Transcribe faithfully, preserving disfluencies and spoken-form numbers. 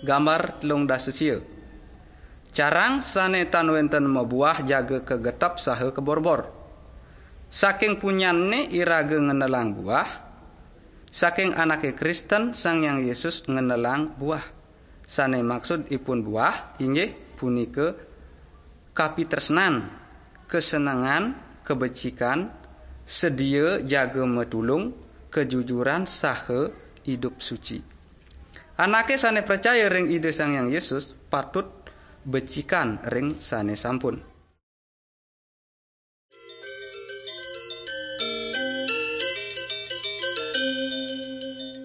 Gambar telung dasa sia. Carang sane tan wenten mabuah jaga kagetep saha kaborbor. Saking punyanne iraga ngenelang buah, saking anake Kristen Sang Hyang Yesus ngenelang buah. Sane maksud ipun buah inggih punika kapitresnan, kesenengan, kebecikan, sedia jaga matulung, kejujuran saha idup suci. Anake sane pracaya ring Ida Sang Hyang Yesus patut becikan ring sane sampun.